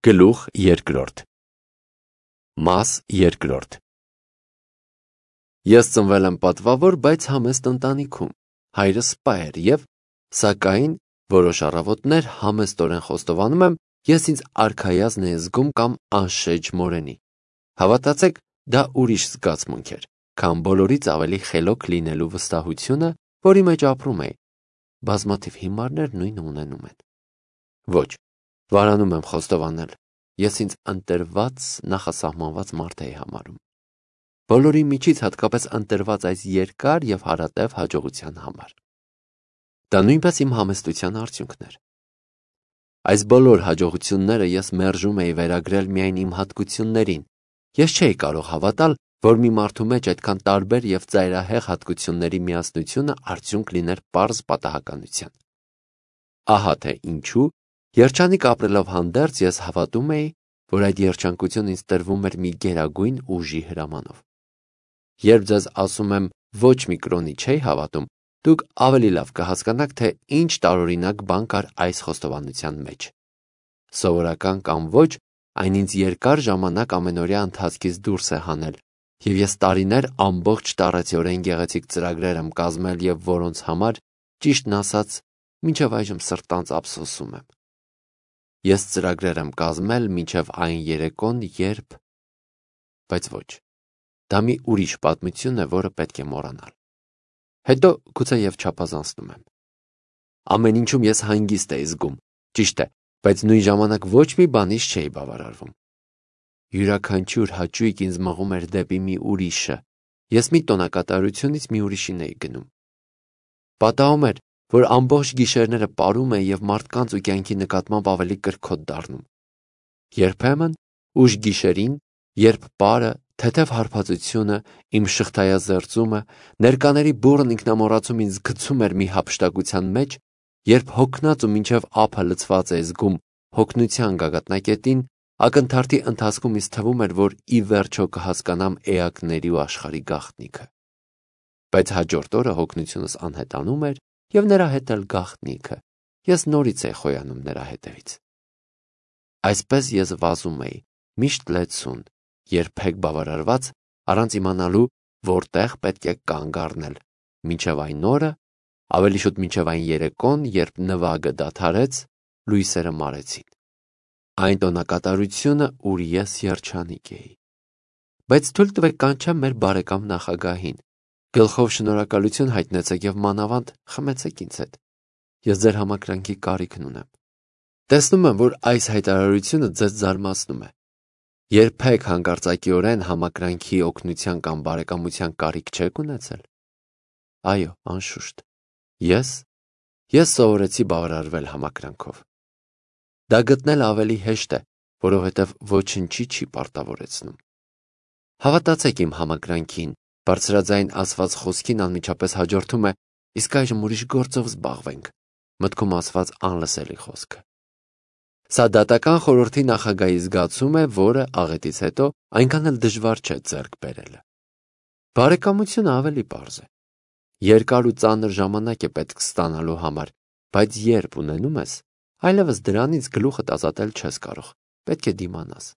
Գլուխ երկրորդ Մաս երկրորդ Ես ծնվել եմ պատվավոր, բայց համեստ ընտանիքում, հայրս սպա էր և, սակայն, որոշ առավոտներ համեստորեն խոստովանում եմ, ես ինձ արքայազն էի զգում կամ անշեջ մորենի։ Հավատացեք, դա ուրիշ զգացմունք էր, քան բոլորից ավելի խելոք լինելու վստահությունը, որի մեջ ապրում էի։ Բազմաթիվ հիմարներ նույնը ունենում են։ Ոչ, վարանում եմ խոստովանել, ես ինձ ընտրված, նախասահմանված մարդ էի համարում։ Բոլորի միջից հատկապես ընտրված այս երկար և հարատև հաջողության համար։ Դա նույնպես իմ համեստության արդյունքն էր։ Այս բոլոր հաջողությունները ես մերժում էի վերագրել միայն իմ հատկություններին։ Ես չէի կարող հավատալ, որ մի մարդու մեջ այդքան տարբեր և ծայրահեղ հատկությունների միասնությունը արդյունք լիներ պարզ պատահականության։ Ահա թե ինչու, երջանիկ ապրելով հանդերձ, ես հավատում էի, որ այդ երջանկությունն ինձ տրվում էր մի գերագույն ուժի հրամանով։ Երբ ձեզ ասում եմ ոչ մի կրոնի չէի հավատում, դուք ավելի լավ կհասկանաք, թե ինչ տարօրինակ բան կար այս խոստովանության մեջ։ Սովորական կամ ոչ, այն ինձ երկար ժամանակ ամենօրյա ընթացքից դուրս է հանել, և ես տարիներ ամբողջ տառացիորեն գեղեցիկ ծրագրեր եմ կազմել և որոնց համար, ճիշտն ասած, մինչև այժմ սրտանց ափսոսում եմ։ Ես ծրագրեր եմ կազմել մինչև այն երեկոն, երբ… Բայց ոչ, դա մի ուրիշ պատմություն է, որը պետք է մոռանալ։ Հետո գուցեև չափազանցնում եմ։ Ամեն ինչում ես հանգիստ էի զգում, ճիշտ է, բայց նույն ժամանակ ոչ մի բանից չէի բավարարվում։ Յուրաքանչյուր հաճույք ինձ մղում էր դեպի մի ուրիշը, ես մի տոնակատարությունից մի ուրիշին էի գնում։ Պատահում էր, որ ամբողջ գիշերները պարում էի և մարդկանց ու կյանքի նկատմամբ ավելի կրքոտ դառնում։ Երբեմն, ուշ գիշերին, երբ պարը, թեթև հարբածությունը, իմ շղթայազերծումը, ներկաների բուռն ինքնամոռացումը ինձ գցում էր մի հափշտակության մեջ, երբ հոգնած ու մինչև ափը լցված էի զգում հոգնության գագաթնակետին, ակնթարթի ընթացքում ինձ թվում էր, որ ի վերջո կհասկանամ էակների ու աշխարհի գաղտնիքը։ Բայց հաջորդ օրը հոգնությունս անհետանում էր և նրա հետ էլ գաղտնիքը, ես նորից էի խոյանում նրա հետևից։ Այսպես ես վազում էի, միշտ լեցուն, երբեք բավարարված, առանց իմանալու, որտեղ պետք է կանգ առնել, մինչև այն օրը, ավելի շուտ մինչև այն երեկոն, երբ նվագը դադարեց, լույսերը մարեցին։ Այն տոնակատարությունը, ուր ես երջանիկ էի։ Բայց թույլ տվեք կանչեմ մեր բարեկամ նախագահին։ Գլխով շնորհակալություն հայտնեցեք և մանավանդ խմեցեք ինձ հետ։ Ես ձեր համակրանքի կարիքն ունեմ։ Տեսնում եմ, որ այս հայտարարությունը ձեզ զարմացնում է։ Երբեք հանկարծակիորեն համակրանքի օգնության կամ բարեկամության կարիք չեք ունեցել։ Այո, անշուշտ։ Ես սովորեցի բավարարվել համակրանքով։ Դա գտնել ավելի հեշտ է, որովհետև ոչնչի չի պարտավորեցնում։ Հավատացեք իմ համակրանքին, բարձրաձայն ասված խոսքին անմիջապես հաջորդում է «իսկ այժմ ուրիշ գործով զբաղվենք» մտքում ասված անլսելի խոսքը։ Սա դատական խորհրդի նախագահի զգացում է, որը աղետից հետո այնքան էլ դժվար չէ ձեռք բերելը։ Բարեկամությունը ավելի պարզ է։ Երկար ու ծանր ժամանակ է պետք ստանալու համար, բայց երբ ունենում ես, այլևս դրանից գլուխդ ազատել չես կարող, պետք է դիմանաս։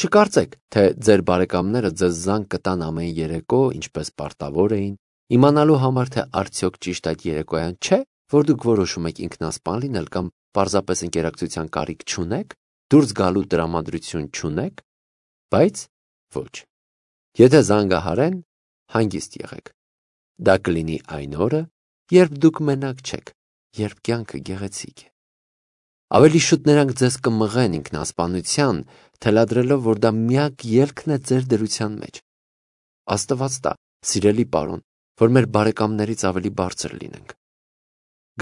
Չկարծեք, թե ձեր բարեկամները ձեզ զանգ կտան ամեն երեկո, ինչպես պարտավոր էին, իմանալու համար, թե արդյոք ճիշտ այդ երեկոյան չէ, որ դուք որոշում եք ինքնասպան լինել կամ պարզապես ընկերակցության կարիք չունեք, դուրս գալու տրամադրություն չունեք, բայց ոչ։ Եթե զանգահարեն, հանգիստ եղեք։ Դա կլինի այն օրը, երբ դուք մենակ չեք, երբ կյանքը գեղեցիկ է։ Ավելի շուտ նրանք ձեզ կմղեն ինքնասպանության, թելադրելով, որ դա միակ ելքն է ձեր դրության մեջ։ Աստված տա, սիրելի պարոն, որ մեր բարեկամներից ավելի բարձր լինենք։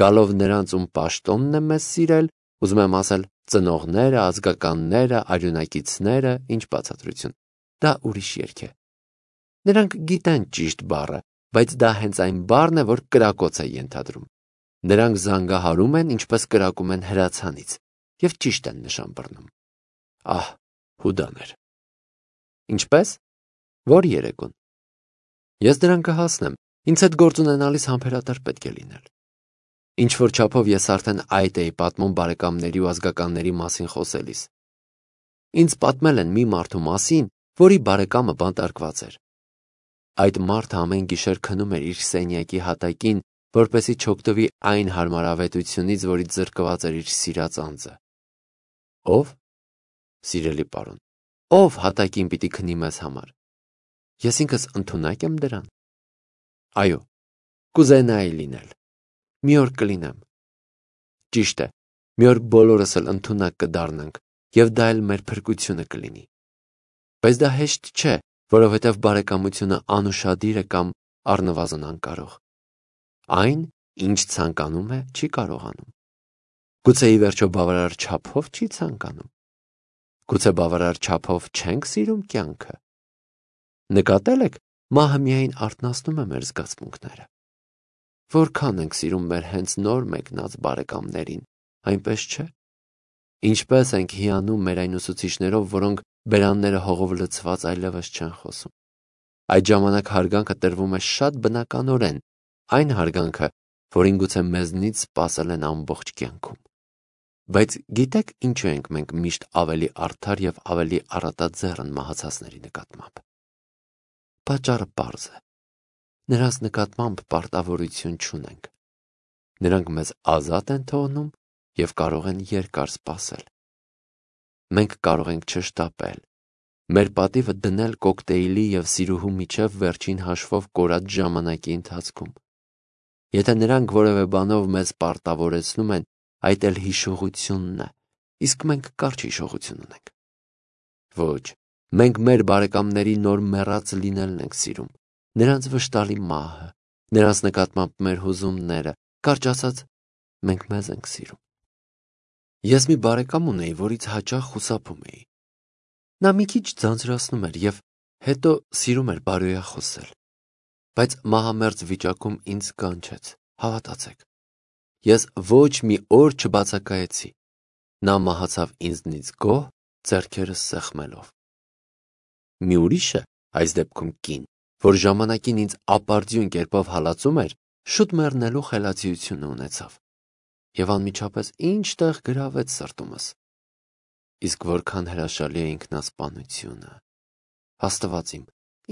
Գալով նրանց, ում պաշտոնն է մեզ սիրել, ուզում եմ ասել ծնողները, ազգականները, արյունակիցները, ինչ բացատրություն, դա ուրիշ երգ է։ Նրանք գիտեն ճիշտ բառը, բայց դա հենց այն բառն է, որ կրակոց է ենթադրում։ Նրանք զանգահարում են, ինչպես կրակում են հրացանից, և ճիշտ են նշան բռնում։ Ահ, հուդաներ։ Ինչպես։ Որ երեկոն։ Ես դրան կհասնեմ, ինձ հետ գործ ունենալիս համբերատար պետք է լինել։ Ինչ-որ չափով ես արդեն այդ էի պատմում բարեկամների ու ազգականների մասին խոսելիս։ Ինձ պատմել են մի մարդու մասին, որի բարեկամը բանտարկված էր։ Այդ մարդը ամեն գիշեր քնում էր իր սենյակի հատակին, որպեսզի չօգտվի այն հարմարավետությունից, որից զրկված էր իր սիրած անձը։ Ով, սիրելի պարոն, ով հատակին պիտի քնի մեզ համար։ Ես ինքս ընդունակ եմ դրան։ Այո, կուզենայի լինել։ Մի օր կլինեմ։ Ճիշտ է, մի օր բոլորս էլ ընդունակ կդառնանք, եւ դա էլ մեր փրկությունը կլինի։ Բայց դա հեշտ չէ, որովհետև բարեկամությունը անուշադիր է կամ առնվազն անկարող։ Այն, ինչ ցանկանում է, չի կարողանում։ Գուցե ի վերջո բավարար չափով չի ցանկանում։ Գուցե բավարար չափով չենք սիրում կյանքը։ Նկատել եք, մահը միայն արթնացնում է մեր զգացմունքները։ Որքան ենք սիրում մեր հենց նոր մեկնած բարեկամներին, այնպես չէ։ Ինչպես ենք հիանում մեր այն ուսուցիչներով, որոնք բերանները հողով լցված այլևս չեն խոսում։ Այդ ժամանակ հարգանքը տրվում է շատ բնականորեն, այն հարգանքը, որին գուցե մեզնից սպասել են ամբողջ կյանքում։ Բայց գիտեք ինչու ենք մենք միշտ ավելի արդար եւ ավելի առատաձեռն մահացածների նկատմամբ։ Պատճառը պարզ է։ Նրանց նկատմամբ պարտավորություն չունենք։ Նրանք մեզ ազատ են թողնում եւ կարող են երկար սպասել։ Մենք կարող ենք չշտապել, մեր պատիվը դնել կոկտեյլի եւ սիրուհու միջև վերջին հաշվով կորած ժամանակի ընթացքում։ Եթե նրանք որևէ բանով մեզ պարտավորեցնում են, այդ էլ հիշողությունն է, իսկ մենք կարճ հիշողություն ունենք։ Ոչ, մենք մեր բարեկամների նոր մեռած լինելն ենք սիրում, նրանց վշտալի մահը, նրանց նկատմամբ մեր հուզումները, կարճ ասած, մենք մեզ ենք սիրում։ Ես մի բարեկամ ունեի, որից հաճախ խուսափում էի։ Նա մի քիչ ձանձրացնում էր եւ հետո սիրում էր բարոյախոսել։ Բայց մահամերձ վիճակում ինձ կանչեց, հավատացեք։ Ես ոչ մի օր չբացակայեցի։ Նա մահացավ ինձնից գոհ, ձեռքերս սեղմելով։ Մի ուրիշը, այս դեպքում կին, որ ժամանակին ինձ ապարդյուն կերպով հալածում էր, շուտ մեռնելու խելացիությունը ունեցավ։ Եվ անմիջապես ինչ-տեղ գրավեց սրտումս։ Իսկ որքան հրաշալի է ինքնասպանությունը։ Աստված իմ,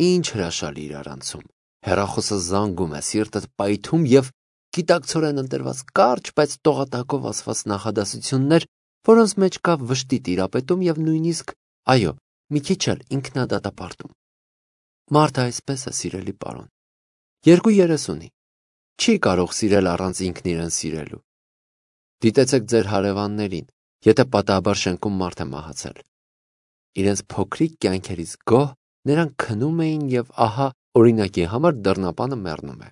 ինչ հրաշալի իրարանցում։ Հեռախոսը զանգում է, սիրտդ պայթում եւ գիտակցորեն ընտրված կարճ, բայց տողատակով ասված նախադասություններ, որոնց մեջ կա վշտի տիրապետում եւ նույնիսկ, այո, մի քիչ էլ ինքնադատապարտում։ Մարդը այսպես է, սիրելի պարոն։ 2:30 ունի։ Չի կարող սիրել առանց ինքն իրեն սիրելու։ Դիտեցեք ձեր հարևաններին, եթե պատահաբար շենքում մարդ է մահացել։ Իրենց փոքրիկ կյանքերից գոհ նրանք քնում էին եւ ահա օրինակի համար դռնապանը մեռնում է։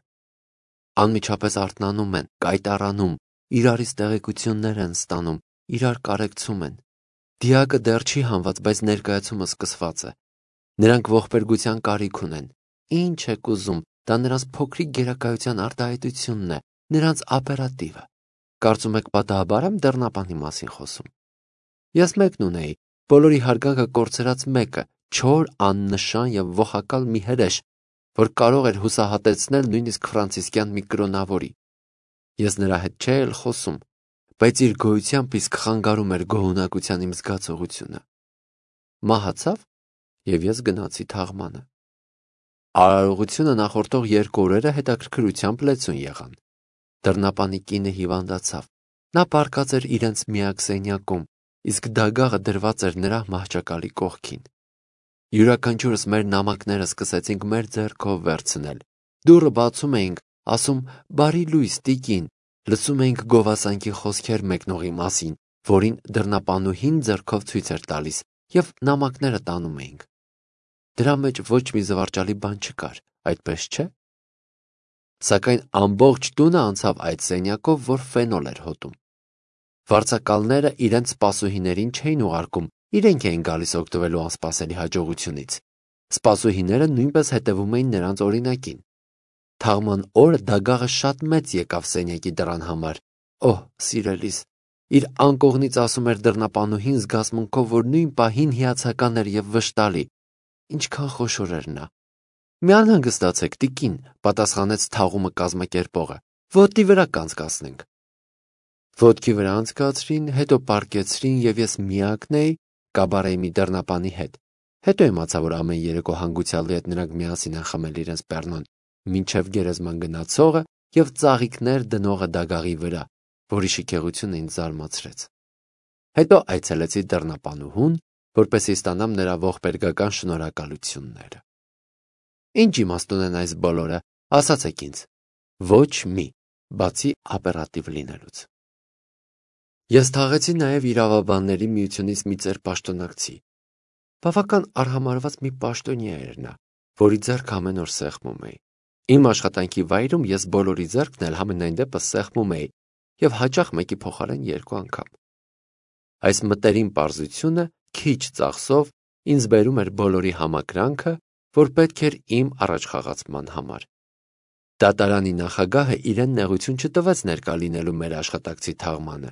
Անմիջապես արթնանում են, կայտարանում, իրարից տեղեկություններ են ստանում, իրար կարեկցում են։ Դիակը դեռ չի հանված, բայց ներկայացումը սկսված է։ Նրանք ողբերգության կարիք ունեն։ Ինչ եք ուզում, դա նրանց փոքրիկ գերակայության արտահայտությունն է, նրանց ապերատիվը։ Կարծում եք պատահաբար եմ դռնապանի մասին խոսում։ Ես մեկն ունեի, բոլորի հարգանքը կորցրած մեկը, չոր, աննշան եւ ողակալ մի հրեշ, որ կարող էր հուսահատեցնել նույնիսկ ֆրանցիսկյան մի կրոնավորի։ Ես նրա հետ չէի էլ խոսում, բայց իր գոյությամբ իսկ խանգարում էր գոհունակության իմ զգացողությունը։ Մահացավ եւ ես գնացի թաղմանը։ Արարողությունը նախորդող 2 օրերը հետաքրքրությամբ լեցուն եղան։ Դռնապանի կինը հիվանդացավ։ Նա պառկած էր իրենց միակ սենյակում, իսկ դագաղը դրված էր նրա մահճակալի կողքին։ Յուրաքանչյուրս մեր նամակները սկսեցինք մեր ձեռքով վերցնել։ Դուռը բացում էինք, ասում «Բարի լույս, տիկին», լսում էինք գովասանքի խոսքեր մեկնողի մասին, որին դռնապանուհին ձեռքով ցույց էր տալիս, եւ նամակները տանում էինք։ Դրա մեջ ոչ մի զվարճալի բան չկար, այդպես չէ՞։ Սակայն ամբողջ տունը անցավ այդ սենյակով, որ ֆենոլ էր հոտում։ Վարձակալները իրենց սպասուհիներին չէին ուղարկում, իրենք էին գալիս օգտվելու անսպասելի հաջողությունից։ Սպասուհիները նույնպես հետևում էին նրանց օրինակին։ Թաղման օրը դագաղը շատ մեծ եկավ սենյակի դռան համար։ Օհ, սիրելիս, իր անկողնից ասում էր դռնապանուհին զգացմունքով, որ նույն պահին հիացական էր եւ վշտալի։ Ինչքան խոշոր էր նա։ Մի անհանգստացեք, տիկին, պատասխանեց թաղումը կազմակերպողը։ Ոտի վրա կանցկացնենք։ Ոտքի վրա անցկացրին, հետո պառկեցրին եւ ես միակն էի, կաբարեի մի դռնապանի հետ։ Հետո իմացա, որ ամեն երեկո հանգուցյալի հետ նրանք միասին են խմել իրենց պեռնոն, մինչև գերեզման գնացողը և ծաղիկներ դնողը դագաղի վրա, որի շքեղությունը ինձ զարմացրեց։ Հետո այցելեցի դռնապանուհուն, որպեսզի ստանամ նրա ողբերգական շնորհակալությունները։ Ինչ իմաստ ունեն այս բոլորը, ասացեք ինձ։ Ոչ մի, բացի օպերատիվ լինելուց։ Ես թաղեցի նաև իրավաբանների միությունից մի ծեր պաշտոնակցի։ Բավական արհամարհված մի պաշտոնյա էր նա, որի ձեռքը ամեն օր սեղմում էի։ Իմ աշխատանքի վայրում ես բոլորի ձեռքն էլ համենայն դեպս սեղմում էի և հաճախ մեկի փոխարեն 2 անգամ։ Այս մտերիմ պարզությունը քիչ ծախսով ինձ բերում էր բոլորի համակրանքը, որ պետք էր իմ առաջխաղացման համար։ Դատարանի նախագահը իրեն նեղություն չտվեց ներկա լինելու մեր աշխատակցի թաղմանը,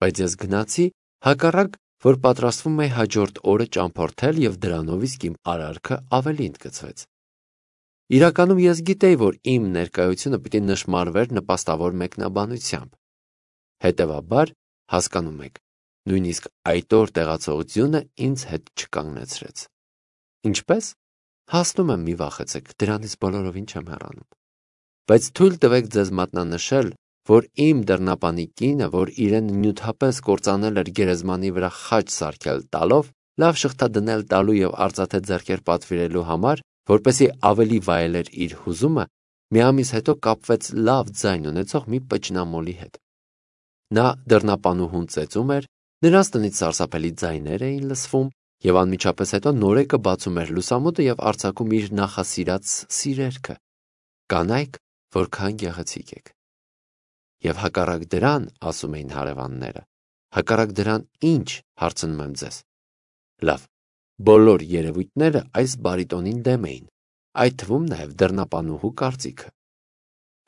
բայց ես գնացի, հակառակ, որ պատրաստվում էի հաջորդ օրը ճամփորդել և դրանով իսկ իմ արարքը ավելի ընդգծվեց։ Իրականում ես գիտեի, որ իմ ներկայությունը պիտի նշմարվեր նպաստավոր մեկնաբանությամբ։ Հետևաբար, հասկանում եք, նույնիսկ այդ օր տեղացողությունը ինձ հետ չկանգնեցրեց։ Ինչպե՞ս։ Հասնում եմ, մի վախեցեք, դրանից բոլորովին չեմ հեռանում։ Բայց թույլ տվեք ձեզ մատնանշել, որ իմ դռնապանի կինը, որ իրեն նյութապես կործանել էր գերեզմանի վրա խաչ սարքել տալով, լավ շղթա դնել տալու և արծաթե ձեռքեր պատվիրելու համար, որպեսզի ավելի վայելեր իր հուզումը, մի ամիս հետո կապվեց լավ ձայն ունեցող մի պճնամոլի հետ։ Նա դռնապանուհուն ծեծում էր, նրանց տնից սարսափելի ձայներ էին լսվում, և անմիջապես հետո նորեկը բացում էր լուսամուտը և արձակում իր նախասիրած սիրերքը։ Կանայք, որքան գեղեցիկ եք։ Եվ հակառակ դրան, ասում էին հարևանները, հակառակ դրան ինչ, հարցնում եմ ձեզ։ Լավ, բոլոր երևույթները այս բարիտոնին դեմ էին, այդ թվում նաև դռնապանուհու կարծիքը։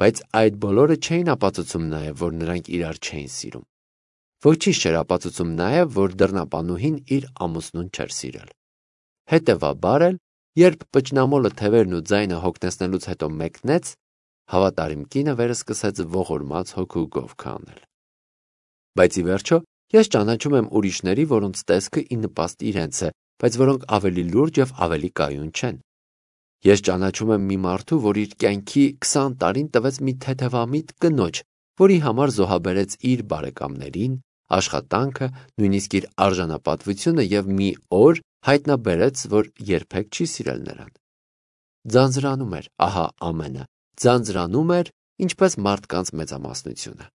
Բայց այդ բոլորը չէին ապացուցում նաև, որ նրանք իրար չէին սիրում։ Ոչինչ չէր ապացուցում նաև, որ դռնապանուհին իր ամուսնուն չէր սիրել։ Հետևաբար էլ, երբ պճնամոլը թևերն ու ձայնը հոգնեցնելուց հետո մեկնեց, հավատարիմ կինը վերը սկսեց ողորմած հոգու գովքը անել։ Բայց ի վերջո, ես ճանաչում եմ ուրիշների, որոնց տեսքը ի նպաստ իրենց է, բայց որոնք ավելի լուրջ և ավելի կայուն չեն։ Ես ճանաչում եմ մի մարդու, որ իր կյանքի 20 տարին տվեց մի թեթևամիտ կնոջ, որի համար զոհաբերեց իր բարեկամներին, աշխատանքը, նույնիսկ իր արժանապատվությունը և մի օր հայտնաբերեց, որ երբեք չի սիրել նրան։ Ձանձրանում էր, ահա ամենը, ձանձրանում էր, ինչպես մարդկանց մեծամասնությունը։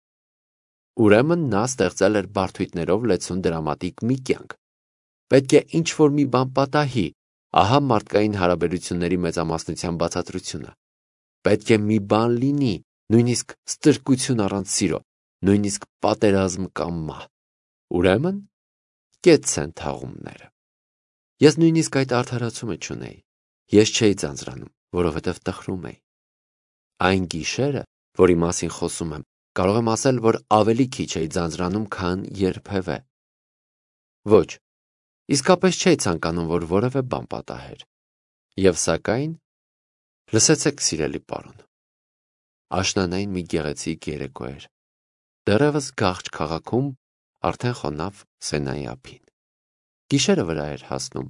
Ուրեմն նա ստեղծել էր բարդույթներով լեցուն դրամատիկ մի կյանք։ Պետք է ինչ-որ մի բան պատահի, ահա մարդկային հարաբերությունների մեծամասնության բացատրությունը։ Պետք է մի բան լինի, նույնիսկ ստրկություն առանց սիրո, նույնիսկ պատերազմ կամ մահ։ Ուրեմն, կեցց են թաղումները։ Ես նույնիսկ այդ արդարացումը չունեի։ Ես չէի ձանձրանում, որովհետև տխրում էի։ Այն գիշերը, որի մասին խոսում եմ, կարող եմ ասել, որ ավելի քիչ էի ձանձրանում, քան երբևէ։ Ոչ, իսկապես չէի ցանկանում, որ որևէ բան պատահեր։ Եվ սակայն, լսեցեք, սիրելի պարոն, աշնանային մի գեղեցիկ երեկո էր։ Դեռևս Գաղճ քաղաքում արդեն խոնավ Սենայի ափին։ Գիշերը վրա էր հասնում։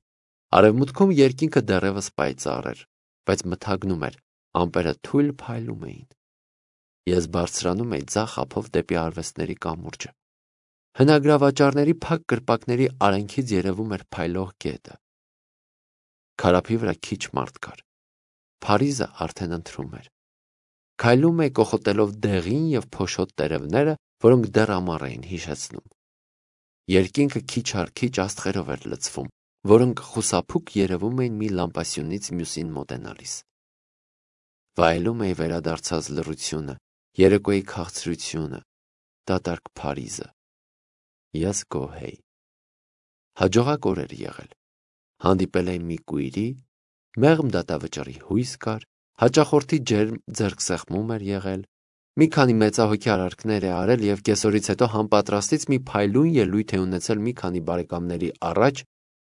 Արևմուտքում երկինքը դեռևս պայծառ էր, բայց մթագնում էր, ամպերը թույլ փայլում էին։ Ես բարձրանում էի ձախ ափով դեպի արվեստների կամուրջը։ Հնագրավաճառների փակ կրպակների արանքից երևում էր փայլող գետը։ Քարափի վրա քիչ մարդ կար։ Փարիզը արդեն ընթրում էր։ Քայլում էի կոխոտելով դեղին և փոշոտ տերևները, որոնք դեռ ամառ էին հիշեցնում։ Երկինքը քիչ առ քիչ աստղերով էր լցվում, որոնք խուսափուկ երևում էին մի լամպասյունից մյուսին մոտենալիս։ Վայելում էի վերադարձած լռությունը, երեկոյի քաղցրությունը, դատարկ Փարիզը։ Ես գոհ էի։ Հաջողակ օր էր եղել։ Հանդիպել էի մի կույրի, մեղմ դատավճռի հույս կար, հաճախորդի ջերմ ձեռքսեղմում էր եղել, մի քանի մեծահոգի արարքներ է արել և կեսօրից հետո համապատրաստից մի փայլուն ելույթ է ունեցել մի քանի բարեկամների առաջ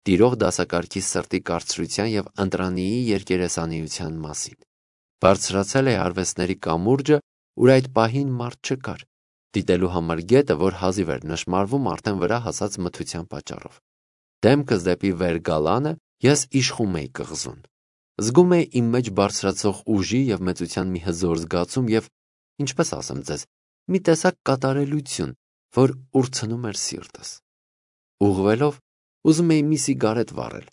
տիրող դասակարգի սրտի կարծրության և ընտրանիի երկերեսանիության մասին։ Բարձրացել է արվեստների կամուրջը, ուր այդ պահին մարդ չկար, դիտելու համար գետը, որ հազիվ էր նշմարվում արդեն վրա հասած մթության պատճառով։ դեմքս դեպի վեր գալանը ես իշխում էի կղզուն։ Զգում էի իմ մեջ բարձրացող ուժի և մեծության մի հզոր զգացում և, ինչպես ասեմ ձեզ, մի տեսակ կատարելություն, որ ուրցնում էր սիրտս։ Ուղղվելով, ուզում էի մի սիգարետ վառել,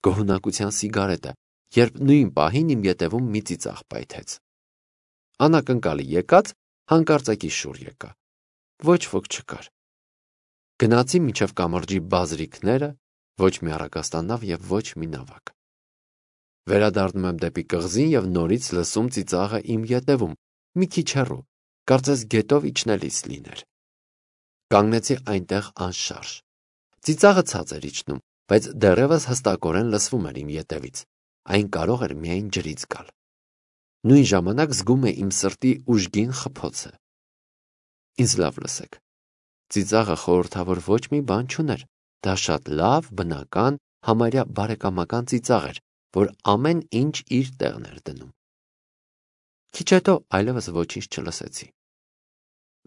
գոհունակության սիգարետը, երբ նույն պահին իմ ետևում մի ծիծաղ պայթեց։ Անակնկալի եկած հանկարծակի շուռ եկա։ Ոչ ոք չկար։ Գնացի մինչև կամրջի բազրիքները, ոչ մի առագաստանավ և ոչ մի նավակ։ Վերադառնում եմ դեպի կղզին և նորից լսում ծիծաղը իմ ետևում, մի քիչ հեռու, կարծես գետով իջնելիս լիներ։ Կանգնեցի այնտեղ անշարժ։ Ծիծաղը ցած էր իջնում, բայց դեռևս հստակորեն լսվում էր իմ ետևից։ Այն կարող էր միայն ջրից գալ։ Նույն ժամանակ զգում էի իմ սրտի ուժգին խփոցը։ Ինձ լավ լսեք։ Ծիծաղը խորհրդավոր ոչ մի բան չուներ։ Դա շատ լավ, բնական, համարյա բարեկամական ծիծաղ էր, որ ամեն ինչ իր տեղն էր դնում։ Քիչ հետո այլևս ոչինչ չլսեցի։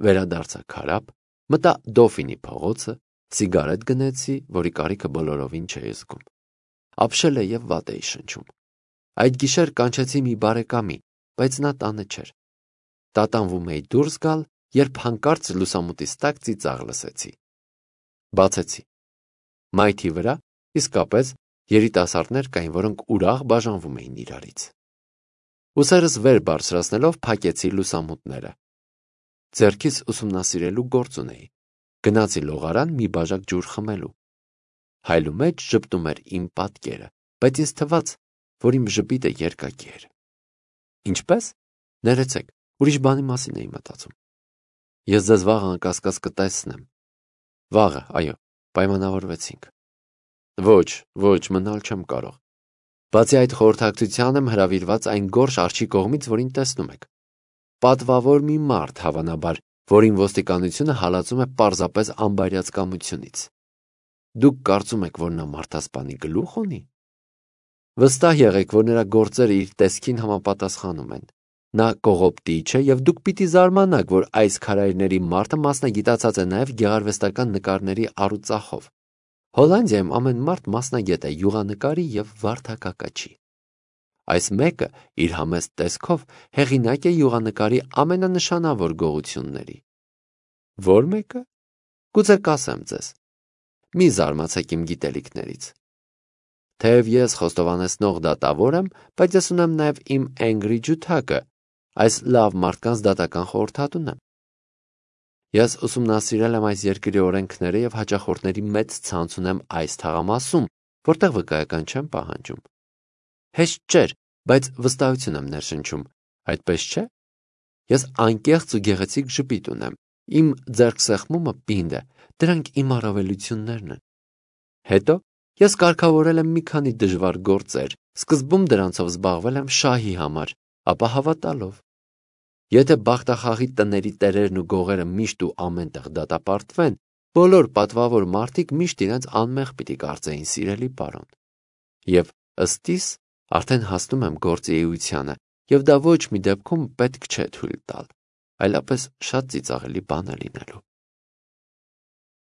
Վերադարձա քարափ, մտա Դոֆինի փողոցը, սիգարետ գնեցի, որի կարիքը բոլորովին չէի զգում։ Ապշել և վատ էի շնչում։ Այդ գիշեր կանչեցի մի բարեկամի, բայց նա տանը չէր։ Տատանվում էի դուրս գալ, երբ հանկարծ լուսամուտից տակ ծիծաղ լսեցի։ Բացեցի։ Մայթի վրա իսկապես երիտասարդներ կային, որոնք ուրախ բաժանվում էին իրարից։ Ուսերս վեր բարձրացնելով փակեցի լուսամուտները։ Ձեռքիս ուսումնասիրելու գործ ունեի։ Գնացի լողարան մի բաժակ ջուր խմելու։ Հայլու մեջ ժպտում էր իմ պատկերը, բայց ինձ թվաց, որ իմ ժպիտը երկակի էր։ Ինչպե՞ս։ Ներեցեք, ուրիշ բանի մասին էի մտածում։ Ես ձեզ վաղը անկասկած կտեսնեմ։ Վաղը, այո, պայմանավորվեցինք։ Ոչ, մնալ չեմ կարող։ Բացի այդ խորհրդակցության եմ հրավիրված այն գորշ արջի կողմից, որին տեսնում եք։ Պատվավոր մի մարդ, հավանաբար, որին ոստիկանությունը հալածում է պարզապես անբարյացկամությունից։ Դուք կարծում եք, որ նա մարդասպանի գլուխ ունի։ Վստահ եղեք, որ նրա գործերը իր տեսքին համապատասխանում են։ Նա կողոպտիչ է և դուք պիտի զարմանաք, որ այս քարայրների մարդը մասնագիտացած է նաև գեղարվեստական նկարների առուծախով։ Հոլանդիայում ամեն մարդ մասնագետ է յուղանկարի և վարդակակաչի։ Այս մեկը իր համեստ տեսքով հեղինակ է յուղանկարի ամենանշանավոր գողությունների։ Ո՞ր մեկը։ Գուցե կասեմ ձեզ։ Մի զարմացեք իմ գիտելիքներից։ Թեև ես խոստովանեցնող դատավոր եմ, բայց ես ունեմ նաև իմ Էնգրի ջութակը, այս լավ մարդկանց դատական խորհրդատուն եմ։ Ես ուսումնասիրել եմ այս երկրի օրենքները և հաճախորդների մեծ ցանց ունեմ այս թաղամասում, որտեղ վկայական չեմ պահանջում։ Հեշտ չէր, բայց վստահություն եմ ներշնչում, այդպես չէ։ Ես անկեղծ ու գեղեցիկ ժպիտ ունեմ, իմ ձեռքսեղմումը պինդ է, դրանք իմ առավելություններն են։ Հետո ես կարգավորել եմ մի քանի դժվար գործեր, սկզբում դրանցով զբաղվել եմ շահի համար, ապա հավատալով։ Եթե բախտախաղի տների տերերն ու գողերը միշտ ու ամենտեղ դատապարտվեն, բոլոր պատվավոր մարդիկ միշտ իրենց անմեղ պիտի կարծեին, սիրելի պարոն։ Եվ ըստ իս արդեն հասնում եմ գործի էությանը, և դա ոչ մի դեպքում պետք չէ թույլ տալ, այլապես շատ ծիծաղելի բան է լինելու։